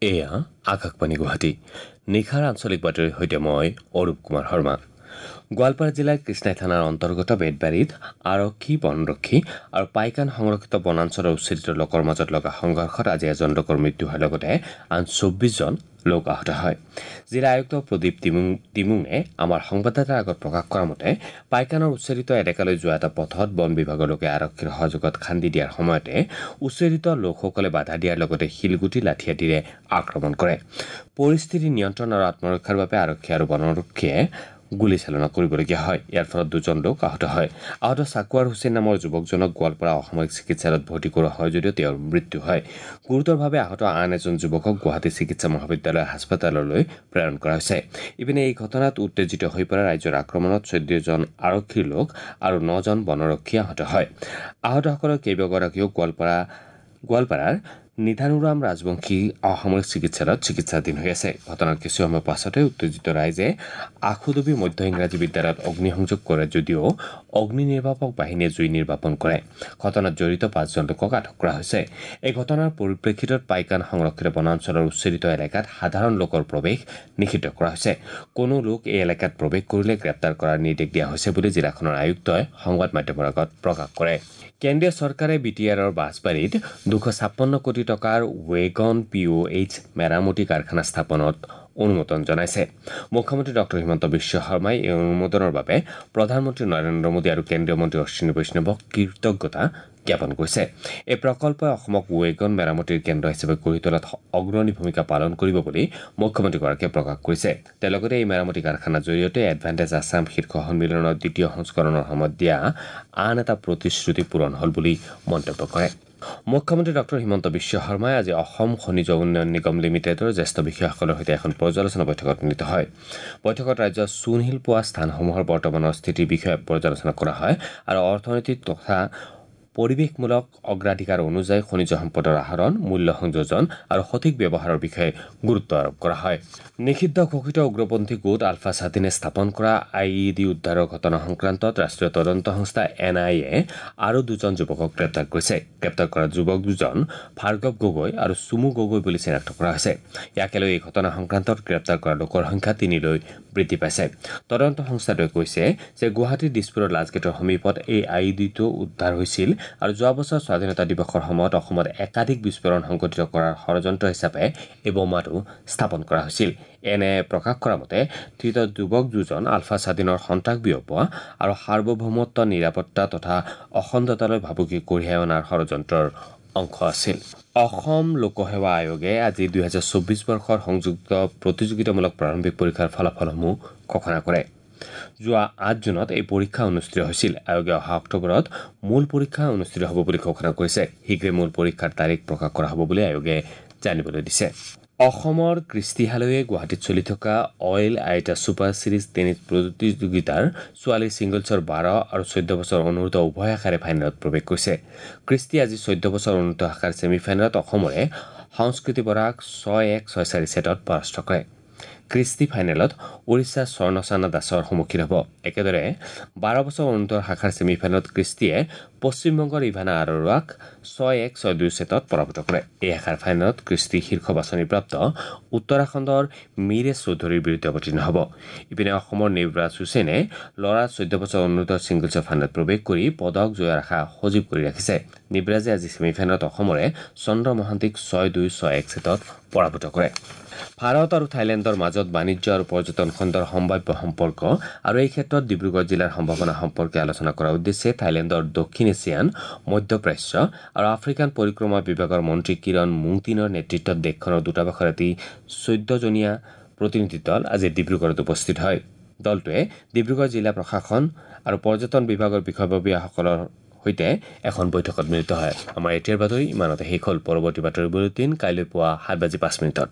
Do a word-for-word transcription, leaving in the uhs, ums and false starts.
এয়া আকাশবাণী গুৱাহাটী। নিশাৰ আঞ্চলিক বাতৰিৰ সৈতে মই অৰূপ কুমাৰ শৰ্মা। গোৱালপাৰা জিলাৰ কৃষ্ণাই থানাৰ অন্তৰ্গত বেতবাৰীত আৰক্ষী, বনৰক্ষী আৰু পাইকান সংৰক্ষিত বনাঞ্চলৰ উচ্ছেদিত লোকৰ মাজত লগা সংঘৰ্ষত আজি এজন লোকৰ মৃত্যু হোৱাৰ লগতে আন চৌব্বিছজন লোক আহত হয়। জিলা আয়ুক্ত প্ৰদীপ তিমুং তিমুঙে আমাৰ সংবাদদাতাৰ আগত প্ৰকাশ কৰা মতে পাইকানৰ উচ্ছেদিত এলেকালৈ যোৱা এটা পথত বন বিভাগৰ লোকে আৰক্ষীৰ সহযোগত খান্দি দিয়াৰ সময়তে উচ্ছেদিত লোকসকলে বাধা দিয়াৰ লগতে শিলগুটি, লাঠি আদিৰে আক্ৰমণ কৰে। পৰিস্থিতি নিয়ন্ত্ৰণ আৰু আত্মৰক্ষাৰ বাবে আৰক্ষী আৰু বনৰক্ষীয়ে গুলীচালনা কৰিবলগীয়া হয়। ইয়াৰ ফলত দুজন লোক আহত হয়। আহত চাকুৱাৰ হুছেইন নামৰ যুৱকজনক গোৱালপাৰা অসামৰিক চিকিৎসালয়ত ভৰ্তি কৰোৱা হয় যদিও তেওঁৰ মৃত্যু হয়। গুৰুতৰভাৱে আহত আন এজন যুৱকক গুৱাহাটী চিকিৎসা মহাবিদ্যালয় হাস্পতাললৈ প্ৰেৰণ কৰা হৈছে। ইপিনে এই ঘটনাত উত্তেজিত হৈ পৰা ৰাইজৰ আক্ৰমণত চৈধ্যজন আৰক্ষীৰ লোক আৰু নজন বনৰক্ষী আহত হয়। আহতসকলৰ কেইবাগৰাকীও গোৱালপাৰা গোৱালপাৰাৰ নিধানুৰাম ৰাজবংশী অসামৰিক চিকিৎসালয়ত চিকিৎসাধীন হৈ আছে। ঘটনাৰ কিছু সময় পাছতে উত্তেজিত ৰাইজে আখুদবি মধ্য ইংৰাজী বিদ্যালয়ত অগ্নিসংযোগ কৰে যদিও অগ্নি নিৰ্বাপক বাহিনীয়ে জুই নিৰ্বাপন কৰে। ঘটনাত জড়িত পাঁচজন লোকক আটক কৰা হৈছে। এই ঘটনাৰ পৰিপ্ৰেক্ষিতত পাইকান সংৰক্ষিত বনাঞ্চলৰ উচ্ছেদিত এলেকাত সাধাৰণ লোকৰ প্ৰৱেশ নিষিদ্ধ কৰা হৈছে। কোনো লোক এই এলেকাত প্ৰৱেশ কৰিলে গ্ৰেপ্তাৰ কৰাৰ নিৰ্দেশ দিয়া হৈছে বুলি জিলাখনৰ আয়ুক্তই সংবাদ মাধ্যমৰ আগত প্ৰকাশ কৰে। কেন্দ্ৰীয় চৰকাৰে বি টি আৰৰ বাছবাৰীত দুশ ছাপন্ন কোটি টকাৰ ৱেগন পি অ' এইচ মেৰামতি কাৰখানা স্থাপনত অনুমোদন জনাইছে। মুখ্যমন্ত্ৰী ডক্টৰ হিমন্ত বিশ্ব শৰ্মাই এই অনুমোদনৰ বাবে প্ৰধানমন্ত্ৰী নৰেন্দ্ৰ মোদী আৰু কেন্দ্ৰীয় মন্ত্ৰী অশ্বিনী বৈষ্ণৱক কৃতজ্ঞতা জ্ঞাপন কৰিছে। এই প্ৰকল্পই অসমক ৱেগন মেৰামতিৰ কেন্দ্ৰ হিচাপে গঢ়ি তোলাত অগ্ৰণী ভূমিকা পালন কৰিব বুলি মুখ্যমন্ত্ৰীগৰাকীয়ে প্ৰকাশ কৰিছে। তেওঁ লগতে এই মেৰামতি কাৰখানাৰ জৰিয়তে এডভান্টেজ আছাম শীৰ্ষ সন্মিলনৰ দ্বিতীয় সংস্কৰণৰ সময়ত দিয়া আন এটা প্ৰতিশ্ৰুতি পূৰণ হ'ল বুলি মন্তব্য কৰে। মুখ্যমন্ত্ৰী ডক্টৰ হিমন্ত বিশ্ব শৰ্মাই আজি অসম খনিজ উন্নয়ন নিগম লিমিটেডৰ জ্যেষ্ঠ বিষয়াসকলৰ সৈতে এখন পৰ্যালোচনা বৈঠকত মিলিত হয়। বৈঠকত ৰাজ্যৰ চূণশিল পোৱা স্থানসমূহৰ বৰ্তমানৰ স্থিতিৰ বিষয়ে পৰ্যালোচনা কৰা হয় আৰু অৰ্থনৈতিক তথা পৰিৱেশমূলক অগ্ৰাধিকাৰ অনুযায়ী খনিজ সম্পদৰ আহৰণ, মূল্য সংযোজন আৰু সঠিক ব্যৱহাৰৰ বিষয়ে গুৰুত্ব আৰোপ কৰা হয়। নিষিদ্ধ ঘোষিত উগ্ৰপন্থী গোট আলফা স্বাধীনে স্থাপন কৰা I E D উদ্ধাৰৰ ঘটনা সংক্ৰান্তত ৰাষ্ট্ৰীয় তদন্ত সংস্থা এন I A আৰু দুজন যুৱকক গ্ৰেপ্তাৰ কৰিছে। গ্ৰেপ্তাৰ কৰা যুৱক দুজন ভাৰ্গৱ গগৈ আৰু চুমু গগৈ বুলি চিনাক্ত কৰা হৈছে। ইয়াকে লৈ এই ঘটনা সংক্ৰান্তত গ্ৰেপ্তাৰ কৰা লোকৰ সংখ্যা তিনিলৈ বৃদ্ধি পাইছে। তদন্ত সংস্থাটোৱে কৈছে যে গুৱাহাটীৰ দিছপুৰৰ লাজগেটৰ সমীপত এই I E ডিটো উদ্ধাৰ হৈছিল আৰু যোৱা বছৰ স্বাধীনতা দিৱসৰ সময়ত অসমত একাধিক বিস্ফোৰণ সংঘটিত কৰাৰ ষড়যন্ত্ৰ হিচাপে এই বোমাটো স্থাপন কৰা হৈছিল। এনে প্ৰকাশ কৰা মতে ধৃত যুৱক দুজন আলফা স্বাধীনৰ সন্ত্ৰাস বিয়পোৱা আৰু সাৰ্বভৌমত্ব, নিৰাপত্তা তথা অখণ্ডতালৈ ভাবুকি কঢ়িয়াই অনাৰ ষড়যন্ত্ৰৰ অংশ আছিল। অসম লোকসেৱা আয়োগে আজি দুহেজাৰ চৌব্বিছ বৰ্ষৰ সংযুক্ত প্ৰতিযোগিতামূলক প্ৰাৰম্ভিক পৰীক্ষাৰ ফলাফলসমূহ ঘোষণা কৰে। যোৱা আঠ জুনত এই পৰীক্ষা অনুষ্ঠিত হৈছিল। আয়োগে অহা অক্টোবৰত মূল পৰীক্ষা অনুষ্ঠিত হ'ব বুলি ঘোষণা কৰিছে। শীঘ্ৰে মূল পৰীক্ষাৰ তাৰিখ প্ৰকাশ কৰা হ'ব বুলি আয়োগে জানিবলৈ দিছে। অসমৰ কৃষ্টি হালৈয়ে গুৱাহাটীত চলি থকা অইল আইটা ছুপাৰ ছিৰিজ টেনিছ প্ৰতিযোগিতাৰ ছোৱালীৰ ছিংগলছৰ বাৰ আৰু চৈধ্য বছৰ অনুৰ্ধ উভয় শাখাৰে ফাইনেলত প্ৰৱেশ কৰিছে। কৃষ্টি আজি চৈধ্য বছৰ অনুৰ্ধ শাখাৰ ছেমি ফাইনেলত অসমৰে সংস্কৃতি বৰাক ছয় এক ছয় চাৰি ছেটত পৰাস্ত কৰে। কৃষ্টি ফাইনেলত উৰিষ্যাৰ স্বৰ্ণচানা দাসৰ সন্মুখীন হ'ব। একেদৰে বাৰ বছৰ অনুৰ্ধ শাখাৰ ছেমি ফাইনেলত কৃষ্টিয়ে পশ্চিমবংগৰ ইভানা আৰোৰাক ছয় এক ছয় দুই ছেটত পৰাভূত কৰে। এই শাখাৰ ফাইনেলত কৃষ্টি শীৰ্ষ বাছনিপ্ৰাপ্ত উত্তৰাখণ্ডৰ মীৰেশ চৌধুৰীৰ বিৰুদ্ধে অৱতীৰ্ণ হ'ব। ইপিনে অসমৰ নিবৰাজ হুছেইনে ল'ৰা চৈধ্য বছৰ অনুৰ্ধ ছিংগলছৰ ফাইনেলত প্ৰৱেশ কৰি পদক জয়ৰ আশা সজীৱ কৰি ৰাখিছে। নিবৰাজে আজি ছেমি ফাইনেলত অসমৰে চন্দ্ৰ মহান্তিক ছয় দুই ছয় এক ছেটত পৰাভূত কৰে। ভাৰত আৰু থাইলেণ্ডৰ মাজত বাণিজ্য আৰু পৰ্যটন খণ্ডৰ সম্ভাৱ্য সম্পৰ্ক আৰু এই ক্ষেত্ৰত ডিব্ৰুগড় জিলাৰ সম্ভাৱনা সম্পৰ্কে আলোচনা কৰাৰ উদ্দেশ্যে থাইলেণ্ডৰ দক্ষিণ এছিয়ান, মধ্যপ্ৰাচ্য আৰু আফ্ৰিকান পৰিক্ৰমা বিভাগৰ মন্ত্ৰী কিৰণ মুংটিনৰ নেতৃত্বত দেশখনৰ দূতাবাসৰ এটি চৈধ্যজনীয়া প্ৰতিনিধি দল আজি ডিব্ৰুগড়ত উপস্থিত হয়। দলটোৱে ডিব্ৰুগড় জিলা প্ৰশাসন আৰু পৰ্যটন বিভাগৰ বিষয়ববীয়াসকলৰ সৈতে এখন বৈঠকত মিলিত হয়। আমাৰ এতিয়াৰ বাতৰি ইমানতে শেষ হ'ল। পৰৱৰ্তী বাতৰি বুলেটিন কাইলৈ পুৱা সাত বাজি পাঁচ মিনিটত।